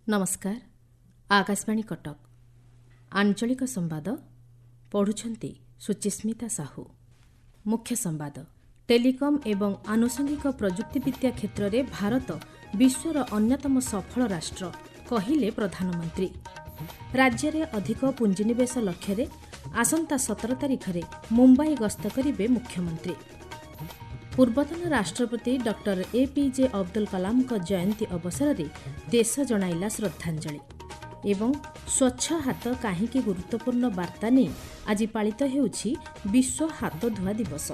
ନମସ୍କାର, ଆକାଶବାଣୀ କଟକ। ଆଞ୍ଚଳିକ ସମ୍ବାଦ ପଢ଼ୁଛନ୍ତି ସୁଚିସ୍ମିତା ସାହୁ। ମୁଖ୍ୟ ସମ୍ବାଦ। ଟେଲିକମ୍ ଏବଂ ଆନୁଷଙ୍ଗିକ ପ୍ରଯୁକ୍ତିବିଦ୍ୟା କ୍ଷେତ୍ରରେ ଭାରତ ବିଶ୍ୱର ଅନ୍ୟତମ ସଫଳ ରାଷ୍ଟ୍ର, କହିଲେ ପ୍ରଧାନମନ୍ତ୍ରୀ। ରାଜ୍ୟରେ ଅଧିକ ପୁଞ୍ଜିନିବେଶ ଲକ୍ଷ୍ୟରେ ଆସନ୍ତା 17 ତାରିଖରେ ମୁମ୍ବାଇ ଗସ୍ତ କରିବେ ମୁଖ୍ୟମନ୍ତ୍ରୀ। ପୂର୍ବତନ ରାଷ୍ଟ୍ରପତି ଡକ୍ଟର ଏପିଜେ ଅବଦୁଲ କଲାମଙ୍କ ଜୟନ୍ତୀ ଅବସରରେ ଦେଶ ଜଣାଇଲା ଶ୍ରଦ୍ଧାଞ୍ଜଳି। ଏବଂ ସ୍ୱଚ୍ଛ ହାତ କାହିଁକି ଗୁରୁତ୍ୱପୂର୍ଣ୍ଣ ବାର୍ତ୍ତା ନେଇ ଆଜି ପାଳିତ ହେଉଛି ବିଶ୍ୱ ହାତଧୁଆ ଦିବସ।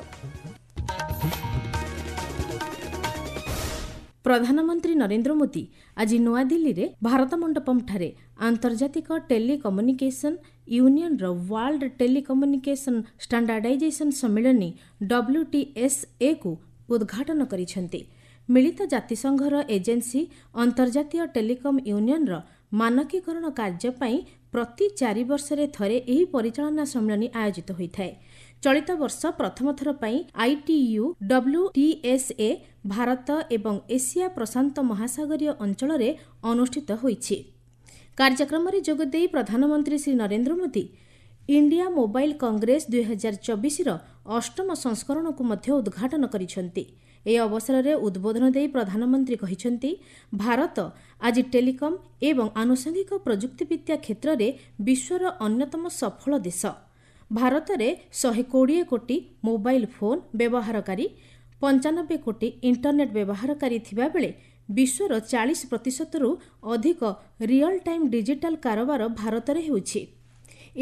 ପ୍ରଧାନମନ୍ତ୍ରୀ ନରେନ୍ଦ୍ର ମୋଦି ଆଜି ନୂଆଦିଲ୍ଲୀରେ ଭାରତ ମଣ୍ଡପମ୍ଠାରେ ଆନ୍ତର୍ଜାତିକ ଟେଲିକମ୍ୟୁନିକେସନ୍ ୟୁନିୟନର ୱାର୍ଲଡ ଟେଲିକମ୍ୟୁନିକେସନ୍ ଷ୍ଟାଣ୍ଡାର୍ଡାଇଜେସନ୍ ସମ୍ମିଳନୀ ଡବ୍ଲ୍ୟୁଟିଏସ୍ଏକୁ ଉଦ୍ଘାଟନ କରିଛନ୍ତି। ମିଳିତ ଜାତିସଂଘର ଏଜେନ୍ସି ଅନ୍ତର୍ଜାତୀୟ ଟେଲିକମ୍ ୟୁନିୟନର ମାନକୀକରଣ କାର୍ଯ୍ୟ ପାଇଁ ପ୍ରତି 4 ବର୍ଷରେ ଥରେ ଏହି ପରିଚାଳନା ସମ୍ମିଳନୀ ଆୟୋଜିତ ହୋଇଥାଏ। ଚଳିତ ବର୍ଷ ପ୍ରଥମ ଥର ପାଇଁ ଆଇଟିୟୁ ଡବ୍ଲ୍ୟୁଟିଏସ୍ଏ ଭାରତ ଏବଂ ଏସିଆ ପ୍ରଶାନ୍ତ ମହାସାଗରୀୟ ଅଞ୍ଚଳରେ ଅନୁଷ୍ଠିତ ହୋଇଛି। କାର୍ଯ୍ୟକ୍ରମରେ ଯୋଗଦେଇ ପ୍ରଧାନମନ୍ତ୍ରୀ ଶ୍ରୀ ନରେନ୍ଦ୍ର ମୋଦି ଇଣ୍ଡିଆ ମୋବାଇଲ କଂଗ୍ରେସ 2024ର ଅଷ୍ଟମ ସଂସ୍କରଣକୁ ମଧ୍ୟ ଉଦ୍ଘାଟନ କରିଛନ୍ତି। ଏହି ଅବସରରେ ଉଦ୍ବୋଧନ ଦେଇ ପ୍ରଧାନମନ୍ତ୍ରୀ କହିଛନ୍ତି, ଭାରତ ଆଜି ଟେଲିକମ୍ ଏବଂ ଆନୁଷଙ୍ଗିକ ପ୍ରଯୁକ୍ତିବିଦ୍ୟା କ୍ଷେତ୍ରରେ ବିଶ୍ୱର ଅନ୍ୟତମ ସଫଳ ଦେଶ। ଭାରତରେ 120 କୋଟି ମୋବାଇଲ ଫୋନ୍ ବ୍ୟବହାରକାରୀ, 95 କୋଟି ଇଣ୍ଟରନେଟ୍ ବ୍ୟବହାରକାରୀ ଥିବାବେଳେ ବିଶ୍ୱର 40 ପ୍ରତିଶତରୁ ଅଧିକ ରିଅଲ୍ ଟାଇମ୍ ଡିଜିଟାଲ କାରବାର ଭାରତରେ ହେଉଛି।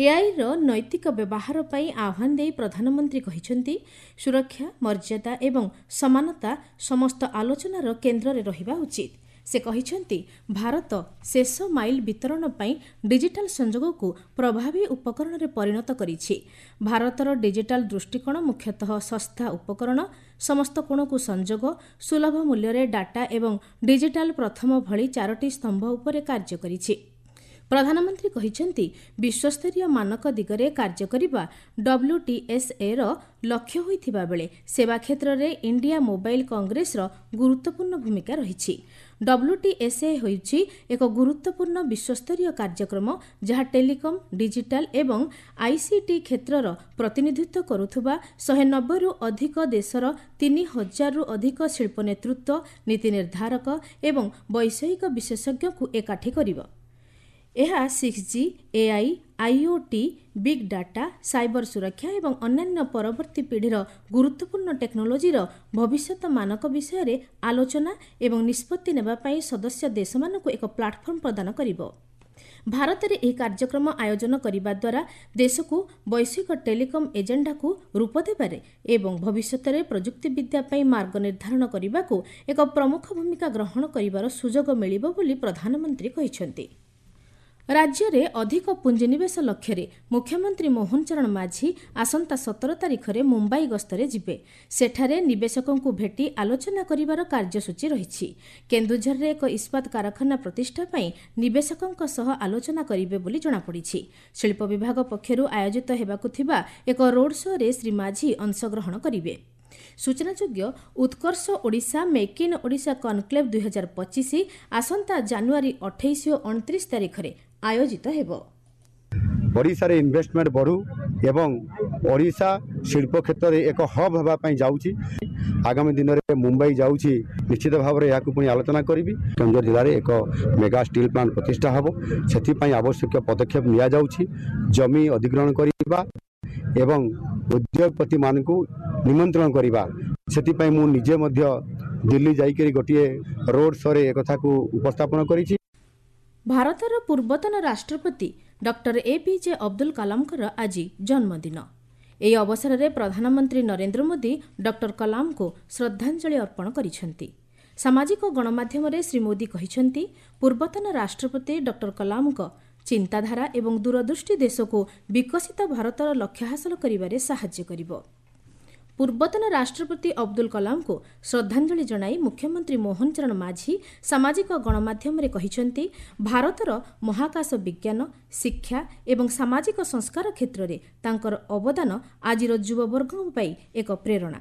ଏଆଇର ନୈତିକ ବ୍ୟବହାର ପାଇଁ ଆହ୍ୱାନ ଦେଇ ପ୍ରଧାନମନ୍ତ୍ରୀ କହିଛନ୍ତି, ସୁରକ୍ଷା, ମର୍ଯ୍ୟାଦା ଏବଂ ସମାନତା ସମସ୍ତ ଆଲୋଚନାର କେନ୍ଦ୍ରରେ ରହିବା ଉଚିତ। ସେ କହିଛନ୍ତି, ଭାରତ ଶେଷ ମାଇଲ ବିତରଣ ପାଇଁ ଡିଜିଟାଲ ସଂଯୋଗକୁ ପ୍ରଭାବୀ ଉପକରଣରେ ପରିଣତ କରିଛି। ଭାରତର ଡିଜିଟାଲ ଦୃଷ୍ଟିକୋଣ ମୁଖ୍ୟତଃ ଶସ୍ତା ଉପକରଣ, ସମସ୍ତ କୋଣକୁ ସଂଯୋଗ, ସୁଲଭ ମୂଲ୍ୟରେ ଡାଟା ଏବଂ ଡିଜିଟାଲ ପ୍ରଥମ ଭଳି 4ଟି ସ୍ତମ୍ଭ ଉପରେ କାର୍ଯ୍ୟ କରିଛି। ପ୍ରଧାନମନ୍ତ୍ରୀ କହିଛନ୍ତି, ବିଶ୍ୱସ୍ତରୀୟ ମାନକ ଦିଗରେ କାର୍ଯ୍ୟ କରିବା ଡବ୍ଲ୍ୟୁଟିଏସ୍ଏର ଲକ୍ଷ୍ୟ ହୋଇଥିବା ବେଳେ ସେବା କ୍ଷେତ୍ରରେ ଇଣ୍ଡିଆ ମୋବାଇଲ କଂଗ୍ରେସର ଗୁରୁତ୍ୱପୂର୍ଣ୍ଣ ଭୂମିକା ରହିଛି। ଡବ୍ଲ୍ୟୁଟିଏସ୍ଏ ହେଉଛି ଏକ ଗୁରୁତ୍ୱପୂର୍ଣ୍ଣ ବିଶ୍ୱସ୍ତରୀୟ କାର୍ଯ୍ୟକ୍ରମ, ଯାହା ଟେଲିକମ୍, ଡିଜିଟାଲ ଏବଂ ଆଇସିଟି କ୍ଷେତ୍ରର ପ୍ରତିନିଧିତ୍ୱ କରୁଥିବା 190ରୁ ଅଧିକ ଦେଶର 3000ରୁ ଅଧିକ ଶିଳ୍ପ ନେତୃତ୍ୱ, ନୀତି ନିର୍ଦ୍ଧାରକ ଏବଂ ବୈଷୟିକ ବିଶେଷଜ୍ଞଙ୍କୁ ଏକାଠି କରିବ। ଏହା 6G, AI, IoT, big data, cyber ସୁରକ୍ଷା ଏବଂ ଅନ୍ୟାନ୍ୟ ପରବର୍ତ୍ତୀ ପିଢ଼ିର ଗୁରୁତ୍ୱପୂର୍ଣ୍ଣ ଟେକ୍ନୋଲୋଜିର ଭବିଷ୍ୟତ ମାନକ ବିଷୟରେ ଆଲୋଚନା ଏବଂ ନିଷ୍ପତ୍ତି ନେବା ପାଇଁ ସଦସ୍ୟ ଦେଶମାନଙ୍କୁ ଏକ ପ୍ଲାଟଫର୍ମ ପ୍ରଦାନ କରିବ। ଭାରତରେ ଏହି କାର୍ଯ୍ୟକ୍ରମ ଆୟୋଜନ କରିବା ଦ୍ୱାରା ଦେଶକୁ ବୈଶ୍ୱିକ ଟେଲିକମ୍ ଏଜେଣ୍ଡାକୁ ରୂପ ଦେବାରେ ଏବଂ ଭବିଷ୍ୟତରେ ପ୍ରଯୁକ୍ତିବିଦ୍ୟା ପାଇଁ ମାର୍ଗ ନିର୍ଦ୍ଧାରଣ କରିବାକୁ ଏକ ପ୍ରମୁଖ ଭୂମିକା ଗ୍ରହଣ କରିବାର ସୁଯୋଗ ମିଳିବ ବୋଲି ପ୍ରଧାନମନ୍ତ୍ରୀ କହିଛନ୍ତି। ରାଜ୍ୟରେ ଅଧିକ ପୁଞ୍ଜିନିବେଶ ଲକ୍ଷ୍ୟରେ ମୁଖ୍ୟମନ୍ତ୍ରୀ ମୋହନ ଚରଣ ମାଝୀ ଆସନ୍ତା 17 ତାରିଖରେ ମୁମ୍ବାଇ ଗସ୍ତରେ ଯିବେ। ସେଠାରେ ନିବେଶକଙ୍କୁ ଭେଟି ଆଲୋଚନା କରିବାର କାର୍ଯ୍ୟସୂଚୀ ରହିଛି। କେନ୍ଦୁଝରରେ ଏକ ଇସ୍ପାତ କାରଖାନା ପ୍ରତିଷ୍ଠା ପାଇଁ ନିବେଶକଙ୍କ ସହ ଆଲୋଚନା କରିବେ ବୋଲି ଜଣାପଡ଼ିଛି। ଶିଳ୍ପ ବିଭାଗ ପକ୍ଷରୁ ଆୟୋଜିତ ହେବାକୁ ଥିବା ଏକ ରୋଡ୍ ଶୋରେ ଶ୍ରୀ ମାଝୀ ଅଂଶଗ୍ରହଣ କରିବେ। ସୂଚନାଯୋଗ୍ୟ, Utkarsh Odisha make in Odisha conclave 2025 ଆସନ୍ତା ଜାନୁଆରୀ 28 ଓ 29 ତାରିଖରେ ଆୟୋଜିତ ହେବ। ଓଡ଼ିଶାରେ ଇନଭେଷ୍ଟମେଣ୍ଟ ବଢ଼ୁ ଏବଂ ଓଡ଼ିଶା ଶିଳ୍ପ କ୍ଷେତ୍ରରେ ଏକ ହବ୍ ହେବା ପାଇଁ ଯାଉଛି। ଆଗାମୀ ଦିନରେ ମୁମ୍ବାଇ ଯାଉଛି, ନିଶ୍ଚିତ ଭାବରେ ଏହାକୁ ପୁଣି ଆଲୋଚନା କରିବି। କେନ୍ଦୁଝର ଜିଲ୍ଲାରେ ଏକ ମେଗା ଷ୍ଟିଲ୍ ପ୍ଲାଣ୍ଟ ପ୍ରତିଷ୍ଠା ହେବ, ସେଥିପାଇଁ ଆବଶ୍ୟକୀୟ ପଦକ୍ଷେପ ନିଆଯାଉଛି। ଜମି ଅଧିଗ୍ରହଣ କରିବା ଏବଂ ଉଦ୍ୟୋଗପତିମାନଙ୍କୁ ନିମନ୍ତ୍ରଣ କରିବା, ସେଥିପାଇଁ ମୁଁ ନିଜେ ମଧ୍ୟ ଦିଲ୍ଲୀ ଯାଇକରି ଗୋଟିଏ ରୋଡ୍ ଶୋରେ ଏକଥାକୁ ଉପସ୍ଥାପନ କରିଛି। ଭାରତର ପୂର୍ବତନ ରାଷ୍ଟ୍ରପତି ଡକ୍ଟର ଏପିଜେ ଅବଦୁଲ କଲାମଙ୍କର ଆଜି ଜନ୍ମଦିନ। ଏହି ଅବସରରେ ପ୍ରଧାନମନ୍ତ୍ରୀ ନରେନ୍ଦ୍ର ମୋଦି ଡକ୍ଟର କଲାମଙ୍କୁ ଶ୍ରଦ୍ଧାଞ୍ଜଳି ଅର୍ପଣ କରିଛନ୍ତି। ସାମାଜିକ ଗଣମାଧ୍ୟମରେ ଶ୍ରୀ ମୋଦି କହିଛନ୍ତି, ପୂର୍ବତନ ରାଷ୍ଟ୍ରପତି ଡକ୍ଟର କଲାମଙ୍କ ଚିନ୍ତାଧାରା ଏବଂ ଦୂରଦୃଷ୍ଟି ଦେଶକୁ ବିକଶିତ ଭାରତର ଲକ୍ଷ୍ୟ ହାସଲ କରିବାରେ ସାହାଯ୍ୟ କରିବ। ପୂର୍ବତନ ରାଷ୍ଟ୍ରପତି ଅବଦୁଲ କଲାମଙ୍କୁ ଶ୍ରଦ୍ଧାଞ୍ଜଳି ଜଣାଇ ମୁଖ୍ୟମନ୍ତ୍ରୀ ମୋହନ ଚରଣ ମାଝୀ ସାମାଜିକ ଗଣମାଧ୍ୟମରେ କହିଛନ୍ତି, ଭାରତର ମହାକାଶ ବିଜ୍ଞାନ, ଶିକ୍ଷା ଏବଂ ସାମାଜିକ ସଂସ୍କାର କ୍ଷେତ୍ରରେ ତାଙ୍କର ଅବଦାନ ଆଜିର ଯୁବବର୍ଗଙ୍କ ପାଇଁ ଏକ ପ୍ରେରଣା।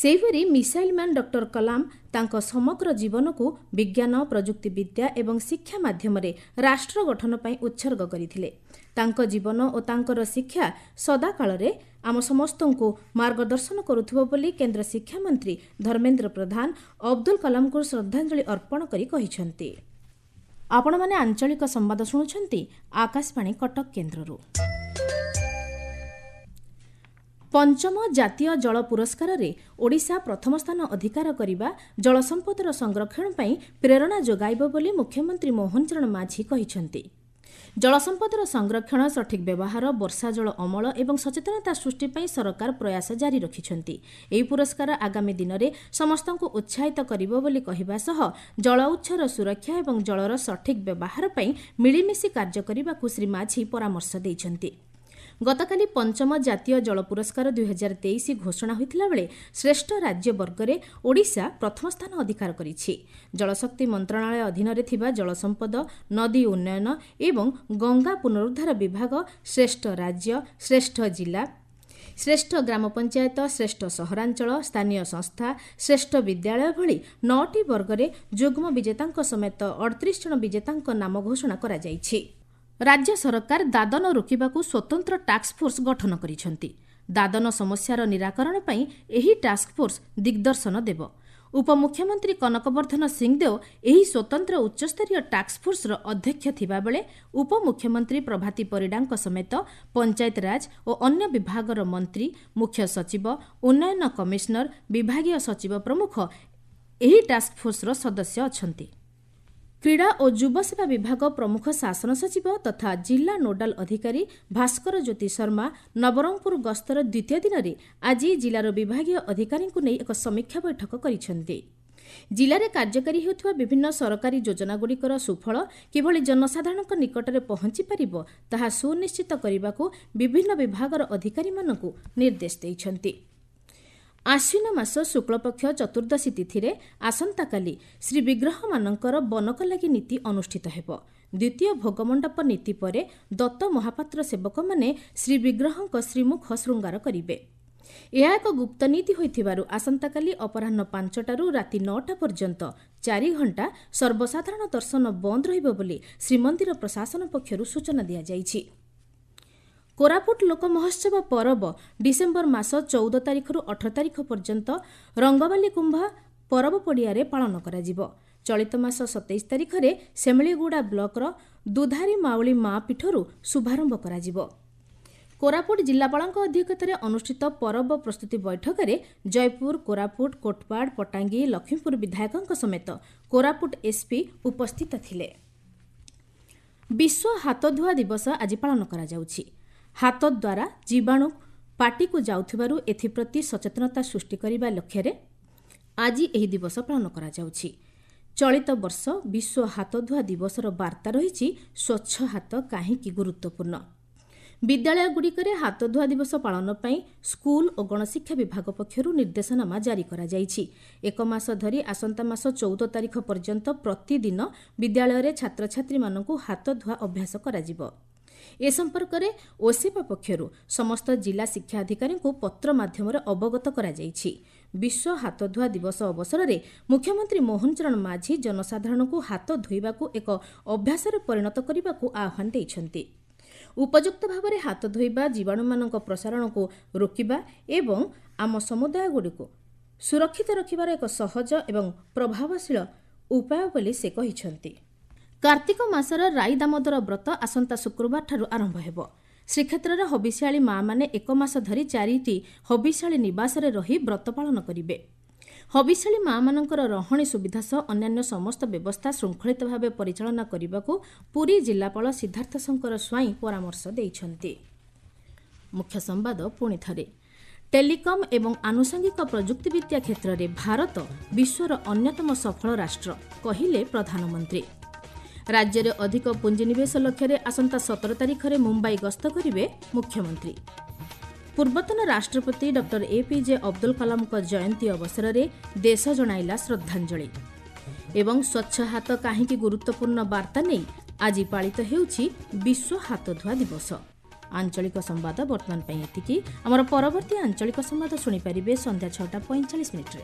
ସେହିପରି ମିସାଇଲ୍ ମ୍ୟାନ୍ ଡକ୍ଟର କଲାମ ତାଙ୍କ ସମଗ୍ର ଜୀବନକୁ ବିଜ୍ଞାନ, ପ୍ରଯୁକ୍ତିବିଦ୍ୟା ଏବଂ ଶିକ୍ଷା ମାଧ୍ୟମରେ ରାଷ୍ଟ୍ର ଗଠନ ପାଇଁ ଉତ୍ସର୍ଗ କରିଥିଲେ। ତାଙ୍କ ଜୀବନ ଓ ତାଙ୍କର ଶିକ୍ଷା ସଦାକାଳରେ ଆମ ସମସ୍ତଙ୍କୁ ମାର୍ଗଦର୍ଶନ କରୁଥିବ ବୋଲି କେନ୍ଦ୍ର ଶିକ୍ଷାମନ୍ତ୍ରୀ ଧର୍ମେନ୍ଦ୍ର ପ୍ରଧାନ ଅବଦୁଲ କଲାମଙ୍କୁ ଶ୍ରଦ୍ଧାଞ୍ଜଳି ଅର୍ପଣ କରି କହିଛନ୍ତି। ଆପଣମାନେ ଆଞ୍ଚଳିକ ସମ୍ବାଦ ଶୁଣୁଛନ୍ତି ଆକାଶବାଣୀ କଟକ କେନ୍ଦ୍ରରୁ। ପଞ୍ଚମ ଜାତୀୟ ଜଳ ପୁରସ୍କାରରେ ଓଡ଼ିଶା ପ୍ରଥମ ସ୍ଥାନ ଅଧିକାର କରିବା ଜଳସମ୍ପଦର ସଂରକ୍ଷଣ ପାଇଁ ପ୍ରେରଣା ଯୋଗାଇବ ବୋଲି ମୁଖ୍ୟମନ୍ତ୍ରୀ ମୋହନ ଚରଣ ମାଝୀ କହିଛନ୍ତି। ଜଳସମ୍ପଦର ସଂରକ୍ଷଣ, ସଠିକ୍ ବ୍ୟବହାର, ବର୍ଷା ଜଳ ଅମଳ ଏବଂ ସଚେତନତା ସୃଷ୍ଟି ପାଇଁ ସରକାର ପ୍ରୟାସ ଜାରି ରଖିଛନ୍ତି। ଏହି ପୁରସ୍କାର ଆଗାମୀ ଦିନରେ ସମସ୍ତଙ୍କୁ ଉତ୍ସାହିତ କରିବ ବୋଲି କହିବା ସହ ଜଳ ଉତ୍ସର ସୁରକ୍ଷା ଏବଂ ଜଳର ସଠିକ୍ ବ୍ୟବହାର ପାଇଁ ମିଳିମିଶି କାର୍ଯ୍ୟ କରିବାକୁ ଶ୍ରୀ ମାଝୀ ପରାମର୍ଶ ଦେଇଛନ୍ତି। ଗତକାଲି ପଞ୍ଚମ ଜାତୀୟ ଜଳ ପୁରସ୍କାର 2023 ଘୋଷଣା ହୋଇଥିଲାବେଳେ ଶ୍ରେଷ୍ଠ ରାଜ୍ୟ ବର୍ଗରେ ଓଡ଼ିଶା ପ୍ରଥମ ସ୍ଥାନ ଅଧିକାର କରିଛି। ଜଳଶକ୍ତି ମନ୍ତ୍ରଣାଳୟ ଅଧୀନରେ ଥିବା ଜଳସମ୍ପଦ, ନଦୀ ଉନ୍ନୟନ ଏବଂ ଗଙ୍ଗା ପୁନରୁଦ୍ଧାର ବିଭାଗ ଶ୍ରେଷ୍ଠ ରାଜ୍ୟ, ଶ୍ରେଷ୍ଠ ଜିଲ୍ଲା, ଶ୍ରେଷ୍ଠ ଗ୍ରାମ ପଞ୍ଚାୟତ, ଶ୍ରେଷ୍ଠ ସହରାଞ୍ଚଳ, ସ୍ଥାନୀୟ ସଂସ୍ଥା, ଶ୍ରେଷ୍ଠ ବିଦ୍ୟାଳୟ ଭଳି 9ଟି ବର୍ଗରେ ଯୁଗ୍ମ ବିଜେତାଙ୍କ ସମେତ 38 ଜଣ ବିଜେତାଙ୍କ ନାମ ଘୋଷଣା କରାଯାଇଛି। ରାଜ୍ୟ ସରକାର ଦାଦନ ରୋକିବାକୁ ସ୍ୱତନ୍ତ୍ର ଟାସ୍କଫୋର୍ସ ଗଠନ କରିଛନ୍ତି। ଦାଦନ ସମସ୍ୟାର ନିରାକରଣ ପାଇଁ ଏହି ଟାସ୍କଫୋର୍ସ ଦିଗ୍ଦର୍ଶନ ଦେବ। ଉପମୁଖ୍ୟମନ୍ତ୍ରୀ କନକବର୍ଦ୍ଧନ ସିଂଦେଓ ଏହି ସ୍ୱତନ୍ତ୍ର ଉଚ୍ଚସ୍ତରୀୟ ଟାସ୍କଫୋର୍ସର ଅଧ୍ୟକ୍ଷ ଥିବାବେଳେ ଉପମୁଖ୍ୟମନ୍ତ୍ରୀ ପ୍ରଭାତୀ ପରିଡ଼ାଙ୍କ ସମେତ ପଞ୍ଚାୟତରାଜ ଓ ଅନ୍ୟ ବିଭାଗର ମନ୍ତ୍ରୀ, ମୁଖ୍ୟ ସଚିବ, ଉନ୍ନୟନ କମିଶନର, ବିଭାଗୀୟ ସଚିବ ପ୍ରମୁଖ ଏହି ଟାସ୍କଫୋର୍ସର ସଦସ୍ୟ ଅଛନ୍ତି। କ୍ରୀଡ଼ା ଓ ଯୁବସେବା ବିଭାଗ ପ୍ରମୁଖ ଶାସନ ସଚିବ ତଥା ଜିଲ୍ଲା ନୋଡାଲ ଅଧିକାରୀ ଭାସ୍କର ଜ୍ୟୋତି ଶର୍ମା ନବରଙ୍ଗପୁର ଗସ୍ତର ଦ୍ୱିତୀୟ ଦିନରେ ଆଜି ଜିଲ୍ଲାର ବିଭାଗୀୟ ଅଧିକାରୀଙ୍କୁ ନେଇ ଏକ ସମୀକ୍ଷା ବୈଠକ କରିଛନ୍ତି। ଜିଲ୍ଲାରେ କାର୍ଯ୍ୟକାରୀ ହେଉଥିବା ବିଭିନ୍ନ ସରକାରୀ ଯୋଜନାଗୁଡ଼ିକର ସୁଫଳ କିଭଳି ଜନସାଧାରଣଙ୍କ ନିକଟରେ ପହଞ୍ଚିପାରିବ ତାହା ସୁନିଶ୍ଚିତ କରିବାକୁ ବିଭିନ୍ନ ବିଭାଗର ଅଧିକାରୀମାନଙ୍କୁ ନିର୍ଦ୍ଦେଶ ଦେଇଛନ୍ତି। ଆଶ୍ୱିନ ମାସ ଶୁକ୍ଳପକ୍ଷ ଚତୁର୍ଦ୍ଦଶୀ ତିଥିରେ ଆସନ୍ତାକାଲି ଶ୍ରୀବିଗ୍ରହମାନଙ୍କର ବନକଲାଗି ନୀତି ଅନୁଷ୍ଠିତ ହେବ। ଦ୍ୱିତୀୟ ଭୋଗମଣ୍ଡପ ନୀତି ପରେ ଦତ୍ତ ମହାପାତ୍ର ସେବକମାନେ ଶ୍ରୀବିଗ୍ରହଙ୍କ ଶ୍ରୀମୁଖ ଶୃଙ୍ଗାର କରିବେ। ଏହା ଏକ ଗୁପ୍ତ ନୀତି ହୋଇଥିବାରୁ ଆସନ୍ତାକାଲି ଅପରାହ୍ନ 5ଟାରୁ ରାତି 9ଟା ପର୍ଯ୍ୟନ୍ତ 4 ଘଣ୍ଟା ସର୍ବସାଧାରଣ ଦର୍ଶନ ବନ୍ଦ ରହିବ ବୋଲି ଶ୍ରୀମନ୍ଦିର ପ୍ରଶାସନ ପକ୍ଷରୁ ସୂଚନା ଦିଆଯାଇଛି। କୋରାପୁଟ ଲୋକ ମହୋତ୍ସବ ପରବ ଡିସେମ୍ବର ମାସ 14 ତାରିଖରୁ 18 ତାରିଖ ପର୍ଯ୍ୟନ୍ତ ରଙ୍ଗବାଲି କୁମ୍ଭା ପରବ ପଡ଼ିଆରେ ପାଳନ କରାଯିବ। ଚଳିତ ମାସ 27 ତାରିଖରେ ସେମିଳିଗୁଡ଼ା ବ୍ଲକର ଦୁଧାରୀ ମାଉଳି ମା ପୀଠରୁ ଶୁଭାରମ୍ଭ କରାଯିବ। କୋରାପୁଟ ଜିଲ୍ଲାପାଳଙ୍କ ଅଧ୍ୟକ୍ଷତାରେ ଅନୁଷ୍ଠିତ ପରବ ପ୍ରସ୍ତୁତି ବୈଠକରେ ଜୟପୁର, କୋରାପୁଟ, କୋଟପାଡ଼, ପଟାଙ୍ଗୀ, ଲକ୍ଷ୍ମୀପୁର ବିଧାୟକଙ୍କ ସମେତ କୋରାପୁଟ ଏସ୍ପି ଉପସ୍ଥିତ ଥିଲେ। ବିଶ୍ୱ ହାତଧୁଆ ଦିବସ ଆଜି ପାଳନ କରାଯାଉଛି। ହାତ ଦ୍ୱାରା ଜୀବାଣୁ ପାଟିକୁ ଯାଉଥିବାରୁ ଏଥିପ୍ରତି ସଚେତନତା ସୃଷ୍ଟି କରିବା ଲକ୍ଷ୍ୟରେ ଆଜି ଏହି ଦିବସ ପାଳନ କରାଯାଉଛି। ଚଳିତ ବର୍ଷ ବିଶ୍ୱ ହାତଧୁଆ ଦିବସର ବାର୍ତ୍ତା ରହିଛି ସ୍ୱଚ୍ଛ ହାତ କାହିଁକି ଗୁରୁତ୍ୱପୂର୍ଣ୍ଣ। ବିଦ୍ୟାଳୟଗୁଡ଼ିକରେ ହାତଧୁଆ ଦିବସ ପାଳନ ପାଇଁ ସ୍କୁଲ ଓ ଗଣଶିକ୍ଷା ବିଭାଗ ପକ୍ଷରୁ ନିର୍ଦ୍ଦେଶନାମା ଜାରି କରାଯାଇଛି। ଏକ ମାସ ଧରି ଆସନ୍ତା ମାସ 14 ତାରିଖ ପର୍ଯ୍ୟନ୍ତ ପ୍ରତିଦିନ ବିଦ୍ୟାଳୟରେ ଛାତ୍ରଛାତ୍ରୀମାନଙ୍କୁ ହାତଧୁଆ ଅଭ୍ୟାସ କରାଯିବ। ଏ ସମ୍ପର୍କରେ ଓସେପା ପକ୍ଷରୁ ସମସ୍ତ ଜିଲ୍ଲା ଶିକ୍ଷା ଅଧିକାରୀଙ୍କୁ ପତ୍ର ମାଧ୍ୟମରେ ଅବଗତ କରାଯାଇଛି। ବିଶ୍ୱ ହାତଧୁଆ ଦିବସ ଅବସରରେ ମୁଖ୍ୟମନ୍ତ୍ରୀ ମୋହନ ଚରଣ ମାଝୀ ଜନସାଧାରଣଙ୍କୁ ହାତ ଧୋଇବାକୁ ଏକ ଅଭ୍ୟାସରେ ପରିଣତ କରିବାକୁ ଆହ୍ୱାନ ଦେଇଛନ୍ତି। ଉପଯୁକ୍ତ ଭାବରେ ହାତ ଧୋଇବା ଜୀବାଣୁମାନଙ୍କ ପ୍ରସାରଣକୁ ରୋକିବା ଏବଂ ଆମ ସମୁଦାୟଗୁଡ଼ିକୁ ସୁରକ୍ଷିତ ରଖିବାର ଏକ ସହଜ ଏବଂ ପ୍ରଭାବଶୀଳ ଉପାୟ ବୋଲି ସେ କହିଛନ୍ତି। କାର୍ତ୍ତିକ ମାସର ରାଇ ଦାମୋଦର ବ୍ରତ ଆସନ୍ତା ଶୁକ୍ରବାରଠାରୁ ଆରମ୍ଭ ହେବ। ଶ୍ରୀକ୍ଷେତ୍ରରେ ହବିଷ୍ୟାଳୀ ମାଆମାନେ ଏକ ମାସ ଧରି 4ଟି ହବିଷ୍ୟାଳୀ ନିବାସରେ ରହି ବ୍ରତ ପାଳନ କରିବେ। ହବିଷ୍ୟାଳୀ ମାଆମାନଙ୍କର ରହଣି ସୁବିଧା ସହ ଅନ୍ୟାନ୍ୟ ସମସ୍ତ ବ୍ୟବସ୍ଥା ଶୃଙ୍ଖଳିତ ଭାବେ ପରିଚାଳନା କରିବାକୁ ପୁରୀ ଜିଲ୍ଲାପାଳ ସିଦ୍ଧାର୍ଥ ଶଙ୍କର ସ୍ୱାଇଁ ପରାମର୍ଶ ଦେଇଛନ୍ତି। ମୁଖ୍ୟ ସମ୍ବାଦ ପୁଣି ଥରେ। ଟେଲିକମ୍ ଏବଂ ଆନୁଷଙ୍ଗିକ ପ୍ରଯୁକ୍ତିବିଦ୍ୟା କ୍ଷେତ୍ରରେ ଭାରତ ବିଶ୍ୱର ଅନ୍ୟତମ ସଫଳ ରାଷ୍ଟ୍ର, କହିଲେ ପ୍ରଧାନମନ୍ତ୍ରୀ। ରାଜ୍ୟରେ ଅଧିକ ପୁଞ୍ଜିନିବେଶ ଲକ୍ଷ୍ୟରେ ଆସନ୍ତା 17 ତାରିଖରେ ମୁମ୍ବାଇ ଗସ୍ତ କରିବେ ମୁଖ୍ୟମନ୍ତ୍ରୀ। ପୂର୍ବତନ ରାଷ୍ଟ୍ରପତି ଡକ୍ଟର ଏପିଜେ ଅବଦୁଲ କଲାମଙ୍କ ଜୟନ୍ତୀ ଅବସରରେ ଦେଶ ଜଣାଇଲା ଶ୍ରଦ୍ଧାଞ୍ଜଳି। ଏବଂ ସ୍ୱଚ୍ଛ ହାତ କାହିଁକି ଗୁରୁତ୍ୱପୂର୍ଣ୍ଣ ବାର୍ତ୍ତା ନେଇ ଆଜି ପାଳିତ ହେଉଛି ବିଶ୍ୱ ହାତଧୁଆ ଦିବସ। ଆଞ୍ଚଳିକ ସମ୍ବାଦ ବର୍ତ୍ତମାନ ପାଇଁ ଏତିକି। ଆମର ପରବର୍ତ୍ତୀ ଆଞ୍ଚଳିକ ସମ୍ବାଦ ଶୁଣିପାରିବେ ସନ୍ଧ୍ୟା 6ଟା 45 ମିନିଟ୍ରେ।